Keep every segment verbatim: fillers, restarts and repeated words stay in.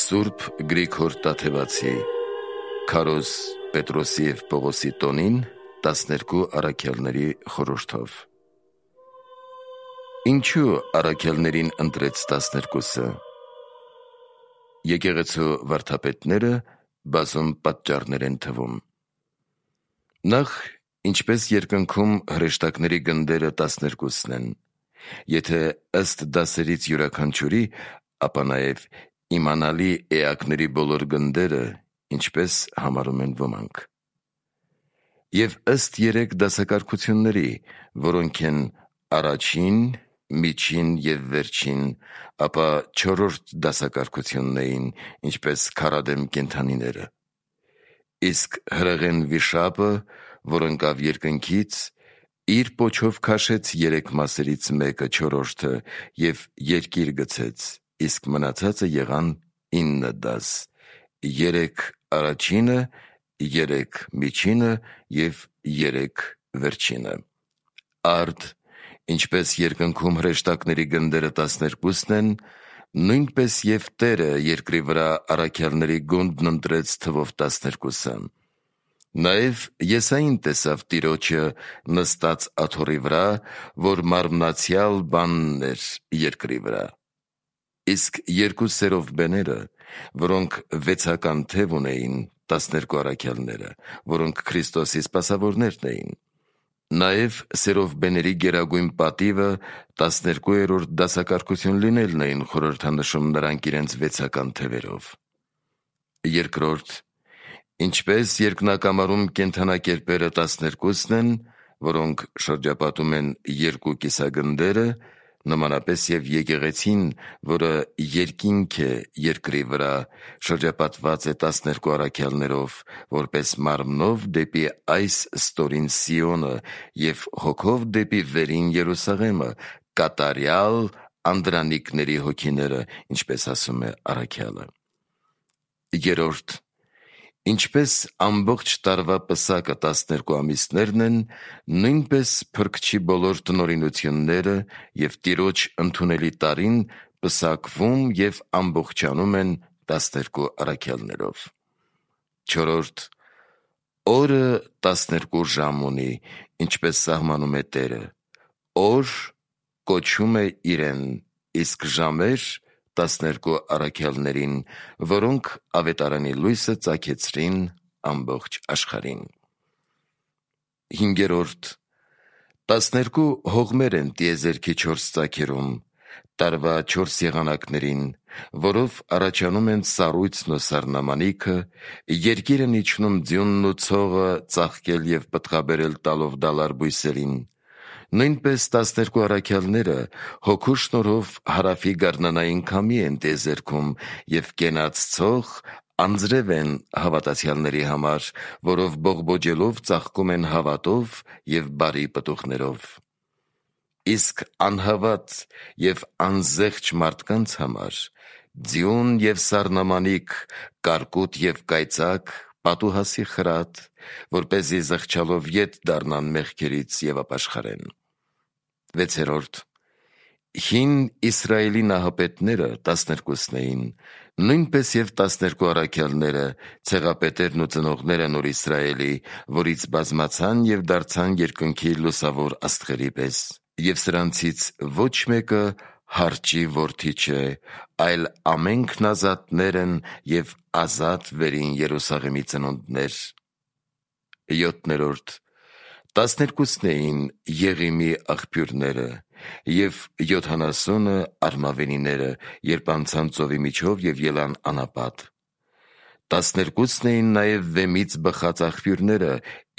Սուրբ Գրիգոր Տաթևացի Քարոզ Պետրոսի և Պողոսի տոնին տասներկու առաքյալների խորհրդով։ Ինչու առաքյալներին ընտրեց տասներկուսը։ Եկեղեցու վարդապետները բազում պատճառներ են թվում։ Նախ, ինչպես երկնքում հրեշտակների գնդերը տասներկուսն են, եթե ըստ դասերից յուրաքանչյուրի, ապա նաև իմանալի էակների բոլոր գնդերը, ինչպես համարում են ոմանք։ Եվ ըստ երեք դասակարգությունների, որոնք են առաջին, միջին և վերջին, ապա չորրորդ դասակարգությունն էին, ինչպես քարադեմ կենդանիները։ Իսկ հրեղեն վիշապը, որ ընկավ երկնքից, իր պոչով քաշեց երեք մասերից մեկը, չորրորդը, և երկիր գցեց, իսկ մնացածը եղան ինը դաս, երեք առաջինը, երեք միջինը և երեք վերջինը։ Արդ, ինչպես երկնքում հրեշտակների գնդերը տասներկուսն են, նույնպես և Տերը երկրի վրա առաքյալների գունդն ընտրեց թվով տասներկուսը։ Նաև Եսային տեսավ Տիրոջը նստած աթոռի վրա, որ մարմնացյալ բանն էր երկրի վրա։ Իսկ երկու սերովբեները, որոնք վեցական թև ունեին, տասներկու առաքյալները, որոնք Քրիստոսի սպասավորներն էին, նաև սերովբեների գերագույն պատիվը տասներկուերորդ դասակարգություն լինելն էին խորհրդանշում նրանք իրենց վեցական թևերով։ Երկրորդ, ինչպես երկնակամարում կենդանակերպերը տասներկուսն են, որոնք շրջապատում են երկու կիսագնդերը, նմանապես և եկեղեցին, որը երկինք է երկրի վրա, շրջապատված է տասներկու առաքյալներով, որպես մարմնով դեպի այս ստորին Սիոնը և հոգով դեպի վերին Երուսաղեմը, կատարյալ անդրանիկների հոգիները, ինչպես ասում է առաքյալը։ Երրորդ, ինչպես ամբողջ տարվա պսակը տասներկու ամիսներն են, նույնպես Փրկչի բոլոր տնօրինությունները և Տիրոջ ընդունելի տարին պսակվում և ամբողջանում են տասներկու առաքյալներով։ Չորրորդ, օրը տասներկու ժամ ունի, ինչպես սահմանում է Տերը, օր կոչում է իրեն, իսկ ժամեր տասներկու առաքյալներին, որոնք ավետարանի լույսը ծագեցրին ամբողջ աշխարհին։ Հինգերորդ, տասներկու հողմեր են տիեզերքի չորս ծագերում, տարվա չորս եղանակներին, որով առաջանում են սառույցն ու սառնամանիքը, երկիրն իջնում ձյունն ու ցողը ծաղկել և պտղաբերել տալով դալար բույսերին։ Նույնպես տասներկու առաքյալները հոգու շնորհով հարավի գարնանային քամի են տիեզերքում և կենաց ցող անձրև են հավատացյալների համար, որով բողբոջելով ծաղկում են հավատով և բարի պտուղներով։ Իսկ անհավատ և անզեղչ մարդկանց համար ձյուն և սառնամանիք, կարկուտ և կայծակ, պատուհասի խրատ, որպեսզի զղջալով ետ դառնան մեղքերից և ապաշխարեն։ Վեցերորդ, հին Իսրայելի նահապետները տասներկուսն էին, նույնպես և տասներկու առաքյալները, ցեղապետերն ու ծնողները Նոր Իսրայելի, որից բազմացան և դարձան երկնքի լուսավոր աստղերի պես։ Եվ սրանցից ոչ մեկը հարճի որդի չէ, այլ ամենքն ազատներ են և ազատ վերին Երուսաղեմի ծնունդներ։ Յոթներորդ, տասներկուսն էին Եղիմի աղբյուրները, և յոթանասունը արմավենիները, երբ անցան ծովի միջով և ելան անապատ։ Տասներկուսն էին նաև Վեմից բխած աղբյուրները,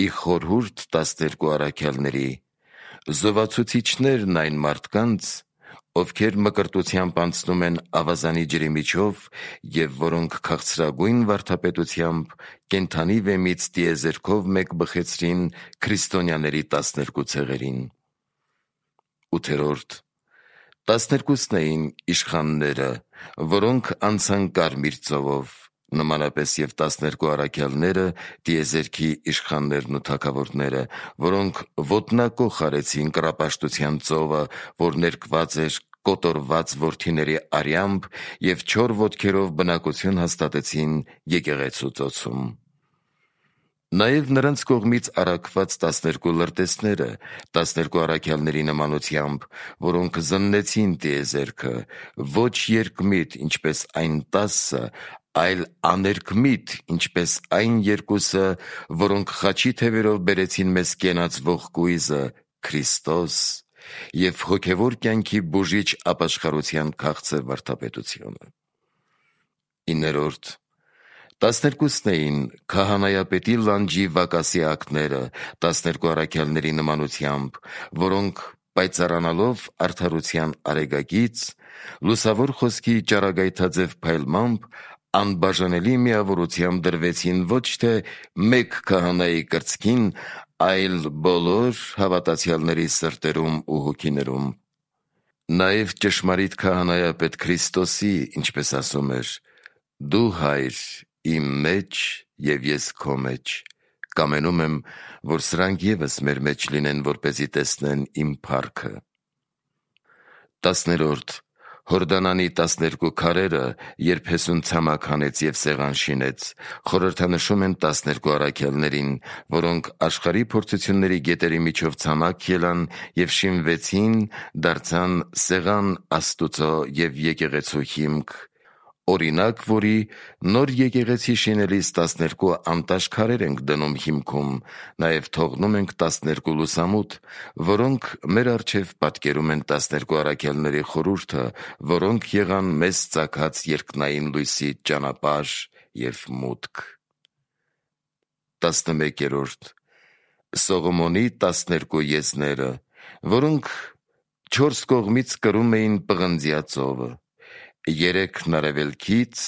ի խորհուրդ տասներկու առաքյալների, զովացուցիչներն այն մարդկանց, ովքեր մկրտությամբ անցնում են ավազանի ջրի միջով և որոնք քաղցրագույն վարդապետությամբ կենդանի վեմից տիեզերքով մեկ բխեցրին քրիստոնյաների տասներկու ցեղերին։ Ութերորդ, տասներկուսն էին իշխանները, որոնք անցան կարմիր ծովով, նմանապես և տասներկու առաքյալները տիեզերքի իշխաններն ու թագավորները, որոնք ոտնակոխ արեցին կռապաշտության ծովը, որ ներկված էր կոտորված որդիների արյամբ և չոր ոտքերով բնակություն հաստատեցին եկեղեցու ծոցում։ Նաև նրանց կողմից առաքված տասներկու լրտեսները, տասներկու առաքյալների նմանությամբ, որոնք զննեցին տիեզերքը, ոչ երկմիտ, ինչպես այն տասը, այլ աներկմիտ, ինչպես այն երկուսը, որոնք խաչի թևերով բերեցին մեզ կենացվող կույզը՝ Քրիստոս և հոգևոր կյանքի բուժիչ ապաշխարության քաղցր վարդապետությունը։ Իներորդ Տասներկուսն էին քահանայապետի լանջի Վակասի ակները, տասներկու առաքյալների նմանությամբ, որոնք պայծառանալով արդարության արեգակից, լուսավոր խոսքի ճառագայթաձև փայլմամբ, անբաժանելի միավորությամբ դրվեցին ոչ թե մեկ քահանայի կրծքին, այլ բոլոր հավատացյալների սրտերում ու հոգիներում։ Նաև ճշմարիտ քահանայապետ Քրիստոսի, ինչպես ասում էր. «Դու, Հայր, իմ մեջ և ես քո մեջ, կամենում եմ, որ սրանք ևս մեր մեջ լինեն, որպեսզի տեսնեն իմ փառքը»։ Տասներորդ Հորդանանի տասներկու քարերը, երբ Հեսուն ցամաք հանեց և սեղան շինեց, խորհրդանշում են տասներկու առաքյալներին, որոնք աշխարհի փորձությունների գետերի միջով ցամաք ելան և շինվեցին, դարձան սեղան Աստուծո և եկեղեցու հիմք, օրինակ, որի նոր եկեղեցի շինելիս տասներկու անտաշ քարեր ենք դնում հիմքում, նաև թողնում ենք տասներկու լուսամուտ, որոնք մեր առջև պատկերում են տասներկու առաքյալների խորհուրդը, որոնք եղան մեզ ծագած երկնային լույսի ճանապարհ և մուտք։ Տասնմեկերորդ Սողոմոնի տասներկու եզները, որոնք չորս կողմից կրում էին պղնձյա ծովը, երեքն արևելքից,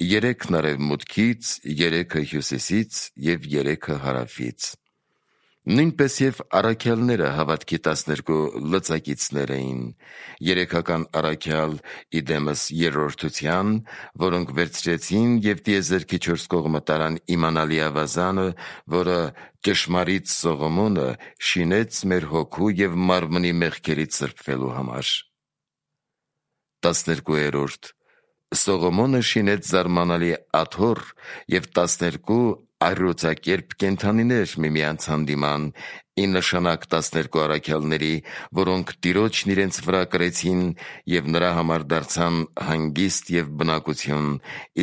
երեքն արևմուտքից, երեքը հյուսիսից և երեքը հարավից։ Նույնպես և առաքյալները հավատքի տասներկու լծակիցներ էին. երեքական առաքյալ ի դեմս երրորդության, որոնք վերցրեցին և տիեզերքի չորս կողմը տարան իմանալի ավազանը, որը ճշմարիտ Սողոմոնը շինեց մեր հոգու և մարմնի մեղքերից սրբվելու համար։ Տասներկուերորդ Սողոմոնը շինեց զարմանալի աթոռ և տասներկու առյուծակերպ կենդանիներ միմյանց հանդիման, ի նշանակ տասներկու առաքյալների, որոնք Տիրոջն իրենց վրա կրեցին և նրա համար դարձան հանգիստ և բնակություն,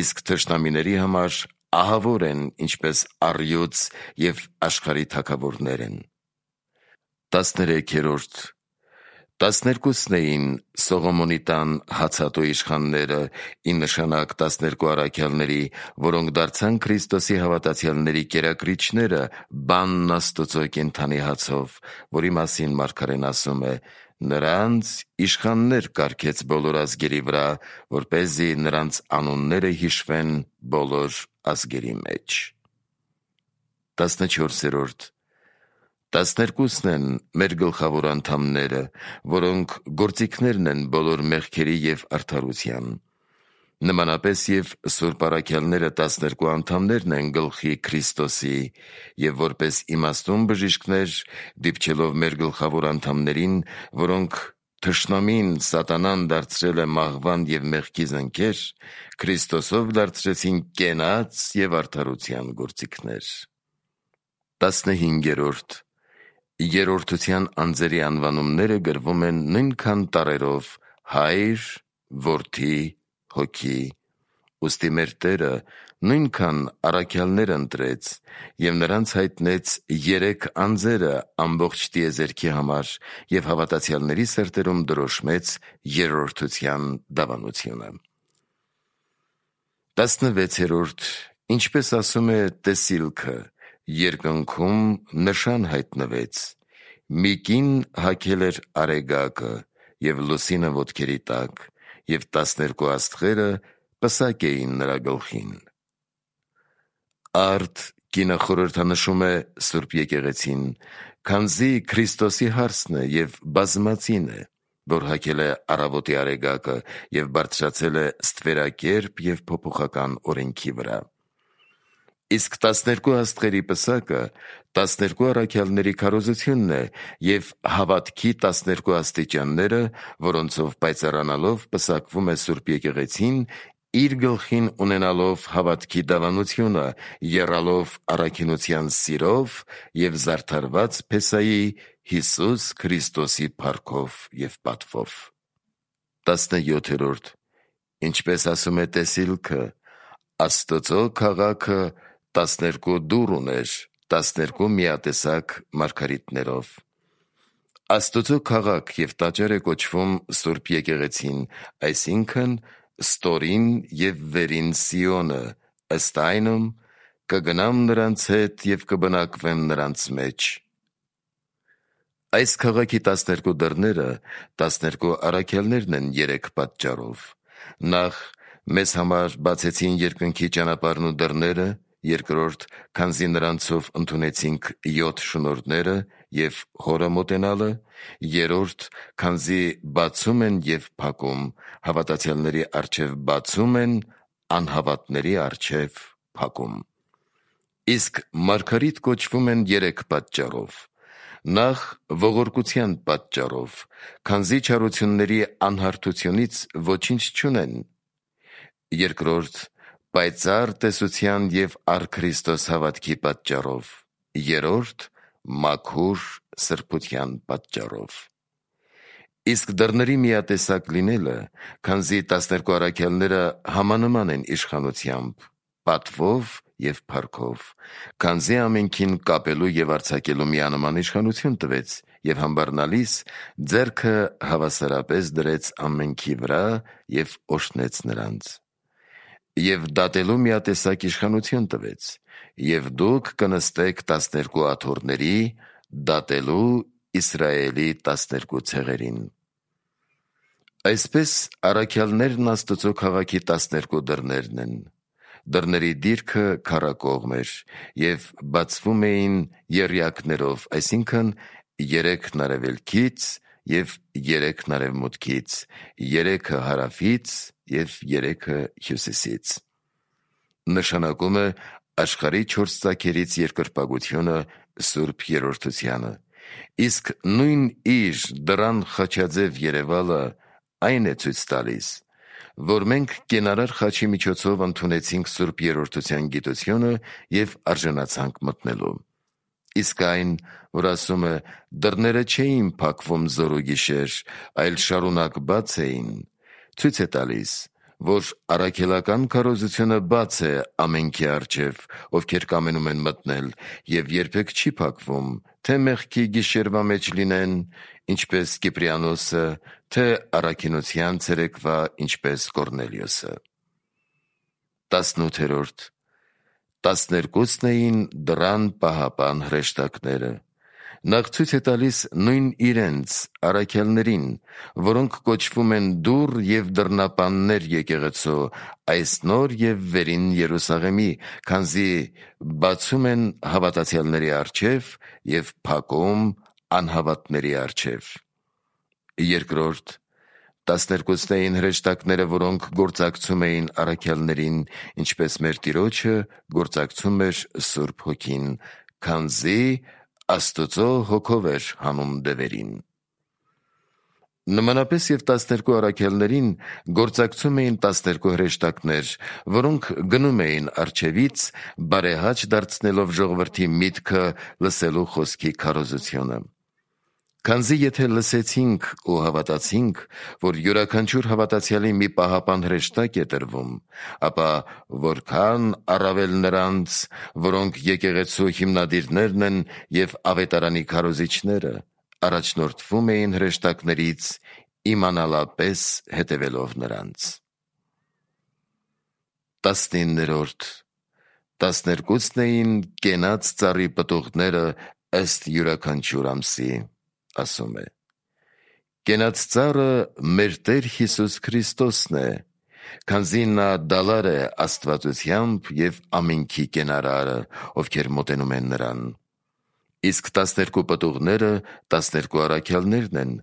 իսկ թշնամիների համար ահավոր են, ինչպես առյուծ և աշխարհի թագավորներ են։ Տասներեքերորդ Տասներկուսն էին Սողոմոնի տան հացատու իշխանները, ի նշանակ տասներկու առաքյալների, որոնք դարձան Քրիստոսի հավատացյալների կերակրիչները բանն Աստուծո կենդանի հացով, որի մասին մարգարեն ասում է. «Նրանց իշխաններ կարգեց բոլոր ազգերի վրա, որպեսզի նրանց անունները հիշվեն բոլոր ազգերի մեջ»։ Տասնչորսերորդ Տասներկուսն են մեր գլխավոր անդամները, որոնք գործիքներն են բոլոր մեղքերի և արդարության։ Նմանապես և սուրբ առաքյալները տասներկու անդամներն են գլխի Քրիստոսի, և որպես իմաստուն բժիշկներ, դիպչելով մեր գլխավոր անդամներին, որոնք թշնամին Սատանան դարձրել է մահվան և մեղքի զնքեր, Քրիստոսով դարձրեցին կենաց և արդարության գործիքներ։ Տասնհինգերորդ Երրորդության անձերի անվանումները գրվում են նույնքան տառերով՝ Հայր, Որդի, Հոգի։ Ուստի մեր Տերը նույնքան առաքյալներ ընտրեց և նրանց հայտնեց երեք անձերը ամբողջ տիեզերքի համար և հավատացյալների սրտերում դրոշմեց երրորդության դավանությունը։ Տասնվեցերորդ Ինչպես ասում է Տեսիլքը. երկնքում նշան հայտնվեց. մի կին հագել էր արեգակը և լուսինը ոտքերի տակ, և տասներկու աստղերը պսակ էին նրա գլխին։ Արդ կինը խորհրդանշում է Սուրբ Եկեղեցին, քանզի Քրիստոսի հարսն է և բազմածին է, որ հագել է առավոտի արեգակը և բարձրացել է ստվերակերպ և փոփոխական օրենքի վրա։ Իսկ տասներկու աստղերի պսակը տասներկու առաքյալների քարոզությունն է և հավատքի տասներկու աստիճանները, որոնցով պայծառանալով պսակվում է Սուրբ Եկեղեցին, իր գլխին ունենալով հավատքի դավանությունը, եռալով առաքինության սիրով և զարդարված Փեսայի Հիսուս Քրիստոսի փառքով և պատվով։ տասնյոթերորդ. Ինչպես ասում է տեսիլքը, Աստծո քաղաքը տասներկու դուռ ուներ, տասներկու միատեսակ մարգարիտներով։ Աստծո քաղաք և տաճար է կոչվում Սուրբ Եկեղեցին, այսինքն ստորին և վերին Սիոնը, ըստ այնմ՝ կգնամ նրանց հետ և կբնակվեմ նրանց մեջ։ Այս քաղաքի տասներկու դռները տասներկու առաքյալներն են երեք պատճառով. Նախ, մեզ համար բացեցին երկնքի ճանապարհն ու դռները, երկրորդ, քանզի նրանցով ընդունեցինք յոթ շնորհները և Հորը մոտենալը, երրորդ, քանզի բացում են և փակում, հավատացյալների առջև բացում են, անհավատների առջև փակում։ Իսկ մարգարիտ կոչվում են երեք պատճառով. Նախ, ողորկության պատճառով, քանզի չարությունների անհարթությունից ոչինչ չունեն, երկրորդ, պայծառ տեսության և առ Քրիստոս հավատքի պատճառով, երրորդ, մաքուր սրբության պատճառով։ Իսկ դռների միատեսակ լինելը, քանզի տասներկու առաքյալները համանման են իշխանությամբ, պատվով և փառքով, քանզի ամենքին կապելու և արձակելու միանման իշխանություն տվեց և համբարնալիս ձեռքը հավասարապես դրեց ամենքի վրա և օրհնեց նրանց։ Եվ դատելու միատեսակ իշխանություն տվեց, և դուք կնստեք տասներկու աթոռների, դատելու Իսրայելի տասներկու ցեղերին։ Այսպես առաքյալներն Աստծո քաղաքի տասներկու դռներն են։ Դռների դիրքը քառակողմ էր և բացվում էին եռյակներով, այսինքն երեքն արևելքից և երեքն արևմուտքից, երեքը հարավից և երեքը հյուսիսից։ Նշանակում է աշխարհի չորս ծագերից երկրպագությունը Սուրբ Երրորդությանը, իսկ նույն իր դռան խաչաձև երևալը այն է ցույց տալիս, որ մենք կենարար խաչի միջոցով ընդունեցինք Սուրբ Երրորդության գիտությունը և արժանացանք մտնելու։ Իսկ այն, որ ասում է դռները չէին փակվում զոր ու գիշեր, այլ շարունակ բաց էին, ցույց է տալիս, որ առաքելական քարոզությունը բաց է ամենքի առջև, ովքեր կամենում են մտնել, և երբեք չի փակվում, թե մեղքի գիշերվա մեջ լինեն, ինչպես Կիպրիանոսը, թե առաքինության ցերեկվա, ինչպես Կորնելիոսը։ տասնութերորդ. Տասներկուցն էին դռան պահապան հրեշտակները։ Նախ ցույց է տալիս նույն իրենց առաքյալներին, որոնք կոչվում են դուռ և դռնապաններ եկեղեցու, այս նոր և վերին Երուսաղեմի, քանզի բացում են հավատացյալների առջև և փակում անհավատների առջև։ Երկրորդ, տասներկուցն էին հրեշտակները, որոնք գործակցում էին առաքյալներին, ինչպես մեր Տիրոջը գործակցում էր Սուրբ Հոգին, քանզի Աստծո Հոգով էր հանում դևերին։ Նմանապես և տասներկու առաքյալներին գործակցում էին տասներկու հրեշտակներ, որոնք գնում էին առջևից, բարեհաճ դարձնելով ժողովրդի միտքը լսելու խոսքի քարոզությունը։ Քանզի եթե լսեցինք ու հավատացինք, որ յուրաքանչյուր հավատացյալի մի պահապան հրեշտակ է տրվում, ապա որքան առավել նրանց, որոնք եկեղեցու հիմնադիրներն են և ավետարանի քարոզիչները, առաջնորդվում էին հրեշտակներից, իմանալապես հետևելով նրանց։ տասնիններորդ. Տասներկուցն էին կենաց ծառի պտուղները ըստ յուրաքանչյուր ամսի, ասում է. Կենաց ծառը մեր Տեր Հիսուս Քրիստոսն է, քանզի նա դալար է աստվածությամբ և ամենքի կենարարը, ովքեր մոտենում են նրան։ Իսկ տասներկու պտուղները տասներկու առաքյալներն են,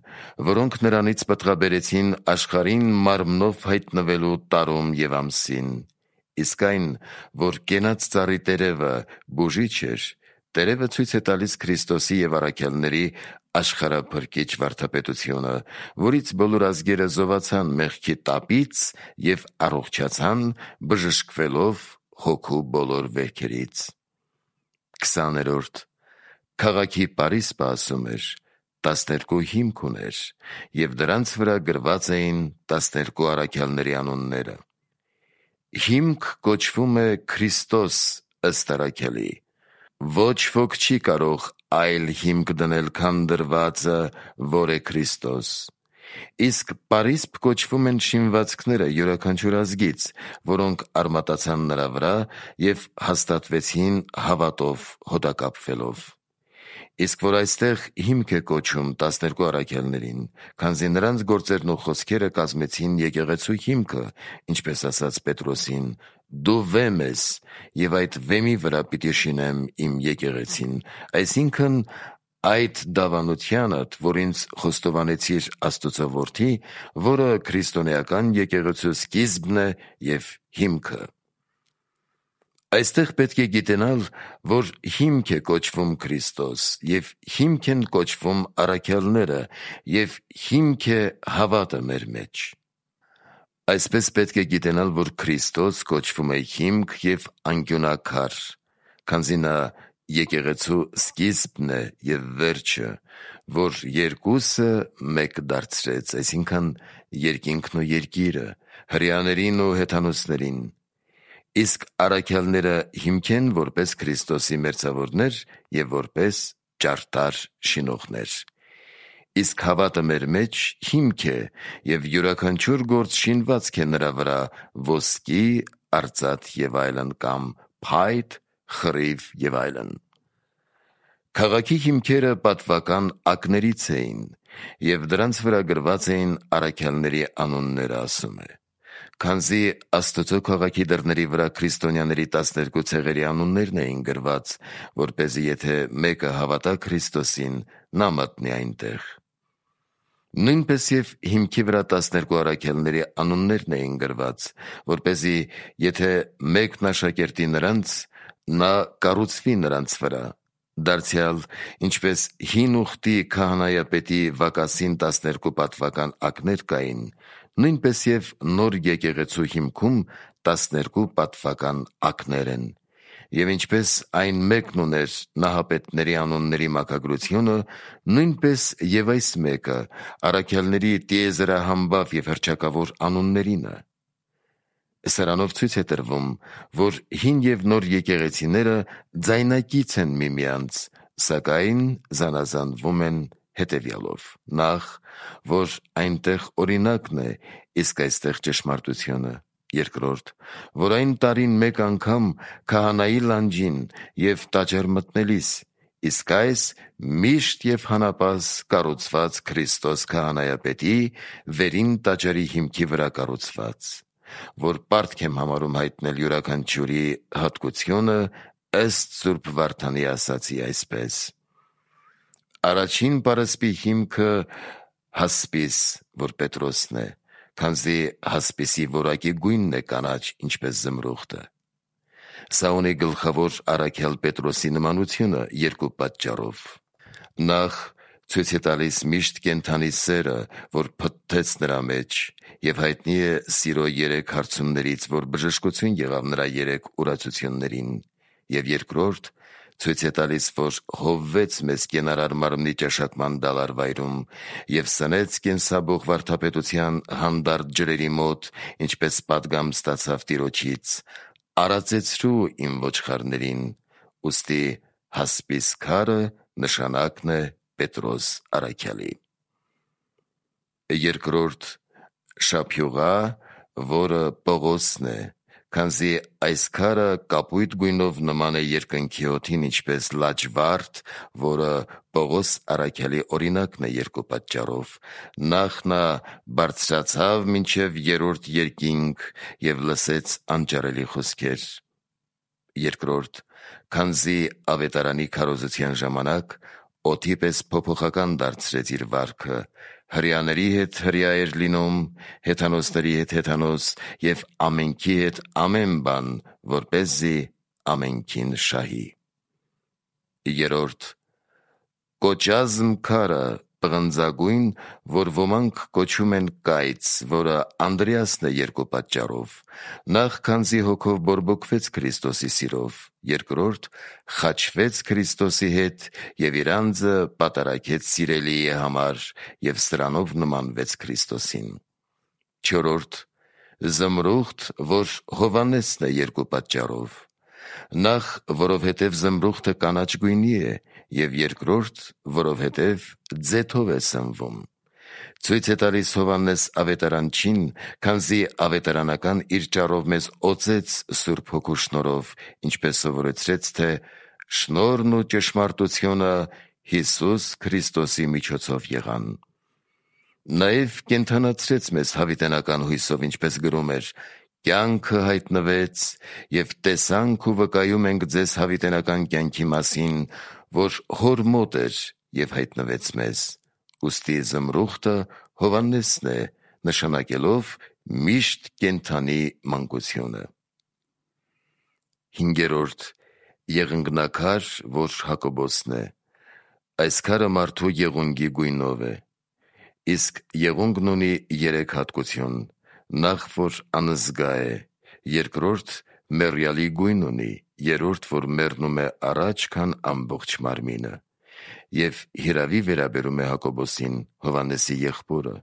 որոնք նրանից պտղաբերեցին աշխարհին մարմնով հայտնվելու տարում և ամսին, իսկ այն, որ կենաց ծառի տերևը բուժիչ էր, տերևը ցույց է տալիս Քրիստոսի և առաքյալների աշխարհափրկիչ վարդապետությունը, որից բոլոր ազգերը զովացան մեղքի տապից և առողջացան, բժշկվելով հոգու բոլոր վերքերից։ քսաներորդ Քաղաքի պարիսպը ասում էր, տասներկու հիմք ուներ, և դրանց վրա գրված էին տասներկու առաքյալների անունները։ Հիմք կոչվում է Քրիստոս ըստ առաքյալի։ Ոչ ոք չի կարող այլ հիմք դնել, քան դրվածը, որ է Քրիստոս։ Իսկ պարիսպ կոչվում են շինվածքները յուրաքանչյուր ազգից, որոնք արմատացան նրա վրա և հաստատվեցին հավատով հոտակապվելով։ Իսկ որ այստեղ հիմք է կոչում տասներկու առաքյալներին, քանզի նրանց գործերն ու խոսքերը կազմեցին եկեղեցու հիմքը, ինչպես ասաց Պետրոսին. «Դու վեմ ես, և այդ վեմի վրա պիտի շինեմ իմ եկեղեցին», այսինքն այդ դավանությանդ, որ ինձ խոստովանեցիր Աստուծո Որդի, որը քրիստոնեական եկեղեցու սկիզբն է և հիմքը։ Այստեղ պետք է գիտենալ, որ հիմք է կոչվում Քրիստոս, և հիմք են կոչվում առաքյալները, և հիմք է հավատը մեր մեջ։ Այսպես պետք է գիտենալ, որ Քրիստոս կոչվում է հիմք և անկյունաքար, քանզի նա եկեղեցու սկիզբն է և վերջը, որ երկուսը մեկ դարձրեց, այսինքն երկինքն ու երկիրը, հրեաներին ու հեթանոսներին։ Իսկ առաքյալները հիմք են որպես Քրիստոսի մերձավորներ և որպես ճարտար շինողներ։ Իսկ հավատը մեր մեջ հիմք է, և յուրաքանչյուր գործ շինվածք է նրա վրա ոսկի, արծաթ և այլն, կամ փայտ, խռիվ և այլն։ Քաղաքի հիմքերը պատվական ակներից էին, և դրանց վրա գրված էին առաքյալների անունները, ասում է։ Քանզի Աստծո քաղաքի դռների վրա քրիստոնյաների տասներկու ցեղերի անուններն էին գրված, որպեսզի եթե մեկը հավատա Քրիստոսին, նա մտնի այնտեղ։ Նույնպես և հիմքի վրա տասներկու առաքյալների անուններն էին գրված, որպեսզի եթե մեկն աշակերտի նրանց, նա կառուցվի նրանց վրա։ Դարձյալ, ինչպես հին ուխտի քահանայապետի վակասին տասներկու պատվական ակներ կային, նույնպես և նոր եկեղեցու հիմքում տասներկու պատվական ակներ են։ Եվ ինչպես այն մեկն ուներ նահապետների անունների մաքագրությունը, նույնպես և այս մեկը առաքյալների տիեզերահամբավ և հռչակավոր անուններինը։ Սրանով ցույց է տրվում, որ հին և նոր եկեղեցիները ձայնակից են միմյանց, սակայն զանազանվում են հետևյալով. Նախ, որ այնտեղ օրինակն է, իսկ այստեղ ճշմարտությունը. երկրորդ, որ այն տարին մեկ անգամ քահանայի լանջին և տաճար մտնելիս, իսկ այս միշտ և հանապազ կառուցված Քրիստոս քահանայապետի վերին տաճարի հիմքի վրա կառուցված, որ պարտք եմ համարում հայտնել յուրաքանչյուրի հատկությունը ըստ Սուրբ Վարդանի ասացի այսպես. Առաջին պարսպի հիմքը հասպիս, որ Պետրոսն է, քանզի հասպիսի որակի գույնն է կանաչ, ինչպես զմրուխտը։ Սա ունի գլխավոր առաքյալ Պետրոսի նմանությունը երկու պատճառով. Նախ, ցույց է տալիս միշտ կենդանի սերը, որ փթթեց նրա մեջ, և հայտնի է սիրո երեք հարցումներից, որ բժշկություն եղավ նրա երեք ուրացություններին, և երկրորդ, ցույց է տալիս, որ հովվեց մեզ կենարար մարմնի ճաշակման դալարվայրում և սնեց կենսաբող վարդապետության հանդարտ ջրերի մոտ, ինչպես պատգամ ստացավ Տիրոջից. «Արածեցրու իմ ոչխարներին», ուստի հասպիս քարը նշանակն է Պետրոս առաքյալի։ Երկրորդ, շափյուղա, որը Պողոսն է, քանզի այս քարը կապույտ գույնով նման է երկնքի օդին, ինչպես լաջվարդ, որը Պողոս առաքյալի օրինակն է երկու պատճառով. նախ նա բարձրացավ մինչև երրորդ երկինք և լսեց անճարելի խոսքեր. երկրորդ, քանզի ավետարանի քարոզության ժամանակ օդի պես փոփոխական դարձրեց իր վարքը, հրյաների հետ հրյա էր լինում, հեթանոսների հետ հեթանոս և ամենքի հետ ամեն բան, որպեսզի ամենքին շահի։ Երորդ, կոճազմ քարը պղնձագույն, որ ոմանք կոչում են կայծ, որը Անդրեասն է երկու պատճառով. նախ քանզի հոգով բորբոքվեց Քրիստոսի սիրով, երկրորդ խաչվեց Քրիստոսի հետ և իր անձը պատարագեց սիրելիի համար և սրանով նմանվեց Քրիստոսին։ Չորրորդ, զմրուխտ, որ Հովհաննեսն է երկու պատճառով. նախ, որովհետև զմրուխտը կանաչ գույնի է, և երկրորդ, որովհետև ձեթով է սնվում։ Ցույց է տալիս Հովհաննես ավետարանչին, քանզի ավետարանական իր ճառով մեզ օծեց Սուրբ Հոգու շնորհով, ինչպես սովորեցրեց, թե շնորհն ու ճշմարտությունը Հիսուս Քրիստոսի միջոցով եղան։ Նաև կենդանացրեց մեզ հավիտենական հույսով, ինչպես գրում էր. «Կյանքը հայտնվեց, և տեսանք ու վկայում ենք ձեզ հավիտենական կյանքի մասին, որ Հոր մոտ էր և հայտնվեց մեզ»։ Ուստի զմրուխտը Հովհաննեսն է, նշանակելով միշտ կենդանի մանկությունը։ Հինգերորդ, եղունգնաքար, որ Հակոբոսն է. այս քարը մարդու եղունգի գույնով է։ Իսկ եղունգն ունի երեք հատկություն. նախ, որ անզգա է, երկրորդ, մեռյալի գույն ունի, երրորդ, որ մեռնում է առաջ, քան ամբողջ մարմինը։ Եվ հիրավի վերաբերում է Հակոբոսին, Հովհաննեսի եղբորը,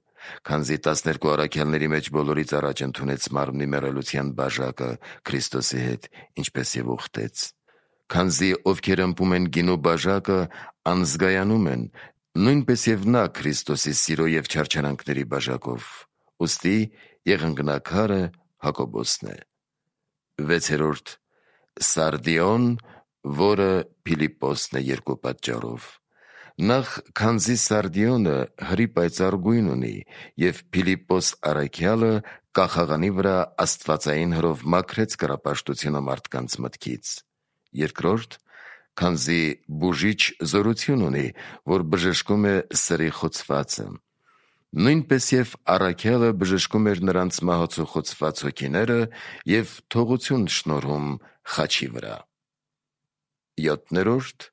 քանզի տասներկու առաքյալների մեջ բոլորից առաջ ընդունեց մարմնի մեռելության բաժակը Քրիստոսի հետ, ինչպես և ուխտեց։ Քանզի ովքեր ըմբում են գինու բաժակը, անզգայանում են, նույնպես և նա Քրիստոսի սիրո և չարչարանքների բաժակով։ Ուստի եղունգնաքարը Հակոբոսն է։ Վեցերորդ, Սարդիոն, որը Փիլիպպոսն է երկու պատճառով. նախ, քանզի Սարդիոնը հրի պայծառ գույն ունի, և Փիլիպպոս առաքյալը կախաղանի վրա աստվածային հրով մաքրեց կռապաշտությունը մարդկանց մտքից։ Երկրորդ, քանզի բուժիչ զորություն ունի, որ բժշկում է սրի խոցվածը։ Նույնպես և առաքյալը բժշկում էր նրանց մահացու խոցված հոգիները և թողություն շնորհում խաչի վրա։ Յոթներորդ,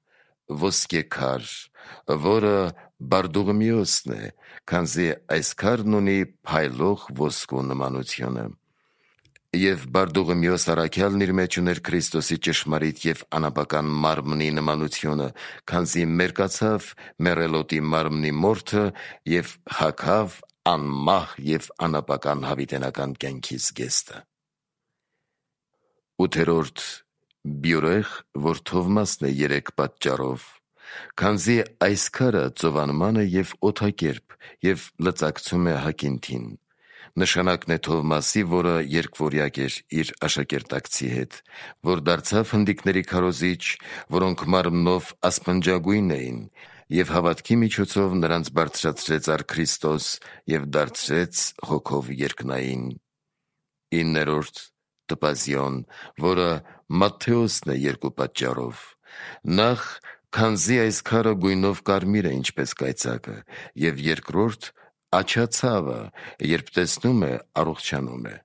ոսկե քար, որը Բարդուղիմեոսն է, քանզի այս քարն ունի փայլող ոսկու նմանությունը։ Եվ Բարդուղիմեոս առաքյալն իր մեջ ուներ Քրիստոսի ճշմարիտ և անապական մարմնի նմանությունը, քանզի մերկացավ մեռելոտի մարմնի մորթը և հագավ անմահ և անապական հավիտենական կյանքի զգեստը։ Ութերորդ, բյուրեղ, որ Թովմասն է երեք պատճառով. քանզի այս քարը ծովանման է և օդակերպ և լծակցում է հակինթին։ Նշանակն է Թովմասի, որը երկվորյակ էր իր աշակերտակցի հետ, որ դարձավ հնդիկների քարոզիչ, որոնք մարմնով ասպնջագույն էին, և հավատքի միջոցով նրանց բարձրացրեց առ Քրիստոս և դարձրեց հոգով երկնային։ Իններորդ, Տպազիոն, որը Մատթեոսն է երկու պատճառով. նախ, քանզի այս քարը գույնով կարմիր է, ինչպես կայծակը, և երկրորդ, աջացավը, երբ տեսնում է, առողջանում է։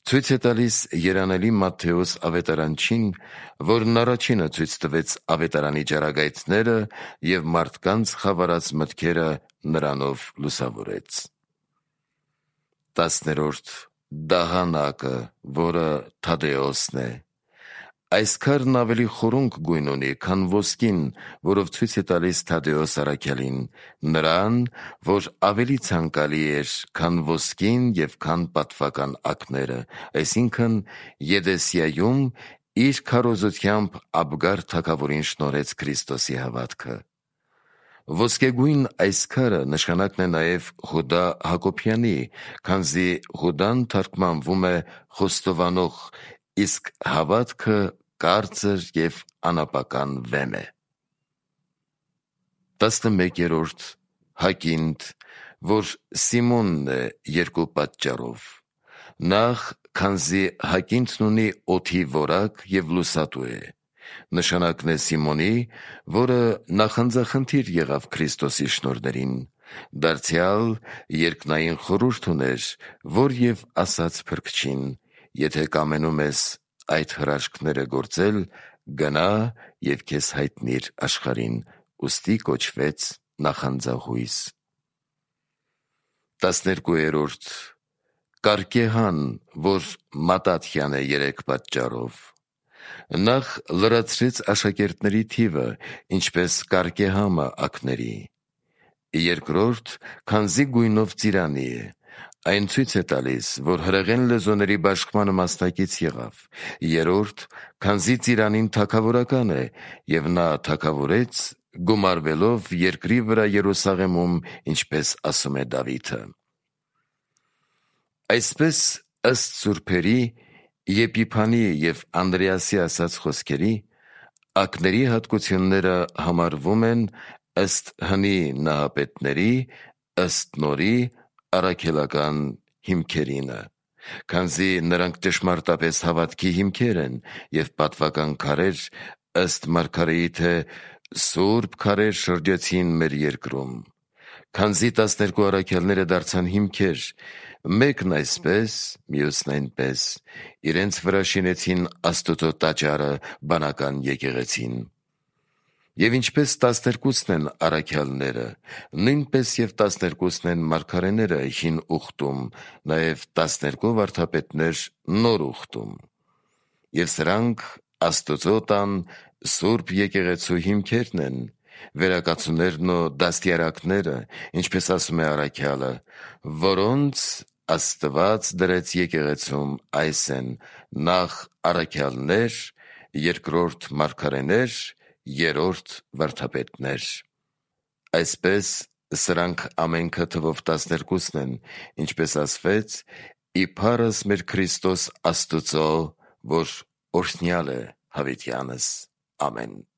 Ցույց է տալիս երանելի Մատթեոս ավետարանչին, որն առաջինը ցույց տվեց ավետարանի ճառագայթները և մարդկանց խավարած մտքերը նրանով լուսավորեց։ Տասներորդ, դահանակը, որը Թադեոսն է. այս քարն ավելի խորունկ գույն ունի, քան ոսկին, որով ցույց է տալիս Թադեոս առաքյալին, նրան, որ ավելի ցանկալի էր, քան ոսկին և քան պատվական ակները, այսինքն Եդեսիայում իր քարոզությամբ Աբգար թագավորին շնորհեց Քրիստոսի հավատքը։ Ոսկեգույն այս քարը նշանակն է նաև Հուդա Հակոբյանի, քանզի Հուդան թարգմանվում է խոստովանող, իսկ հավատքը կարծր և անապական վեմ է։ Տասնմեկերորդ, Հակինդ, որ Սիմոնն է երկու պատճառով. նախ, քանզի Հակինդն ունի օդի որակ և լուսատու է։ Նշանակն է Սիմոնի, որը նախանձախնդիր եղավ Քրիստոսի շնորհներին, Դարձյալ երկնային խորհուրդ ուներ, որ և ասաց փրկչին. «Եթե կամենում ես այդ հրաշքները գործել, գնա և քեզ հայտնիր աշխարհին», ուստի կոչվեց նախանձախույս։ Տասներկուերորդ Կարկեհան, որ Մատաթյան է երեք պատճառով։ Նախ լրացրեց աշակերտների թիվը, ինչպես Կարկեհամը ակների։ Երկրորդ, քանզի գույնով ծիրանի է, այն ցույց է տալիս, որ հրեղեն լեզուների բաշխմանը մասնակից եղավ։ Երրորդ, քանզի ծիրանին թագավորական է, և նա թագավորեց, գումարվելով երկրի վրա Երուսաղեմում, ինչպես ասում է Դավիթը։ Այսպես, ըստ սուրբերի Եփիփանի և Անդրեասի ասած խոսքերի, ակների հատկությունները համարվում են ըստ հնի նահապետների, ըստ նորի առաքելական հիմքերինը, քանզի նրանք ճշմարտապես հավատքի հիմքեր են և պատվական քարեր, ըստ մարգարեի, թե «Սուրբ քարեր շրջեցին մեր երկրում»։ Քանզի տասներկու առաքյալները դարձան հիմքեր, մեկն այսպես, մյուսն այնպես, իրենց վրա շինեցին Աստուծո տաճարը բանական եկեղեցին։ Եվ ինչպես տասներկուսն են առաքյալները, նույնպես և տասներկուսն են մարգարեները հին ուխտում, նաև տասներկու վարդապետներ նոր ուխտում։ Եվ սրանք Աստուծո տան սուրբ եկեղեցու հիմքերն են, վերակացուներն ու դաստիարակները, ինչպես ասում է առաքյալը, որոնց Աստված դրեց եկեղեցում, այս են. նախ առաքյալներ, երկրորդ մարգարեներ, երրորդ վարդապետներ։ Այսպես սրանք ամենքը թվով տասներկուսն են, ինչպես ասվեց. «Իբարս մեր Քրիստոս Աստուծո, որ օրհնյալ է հավիտյանս»։ Ամեն։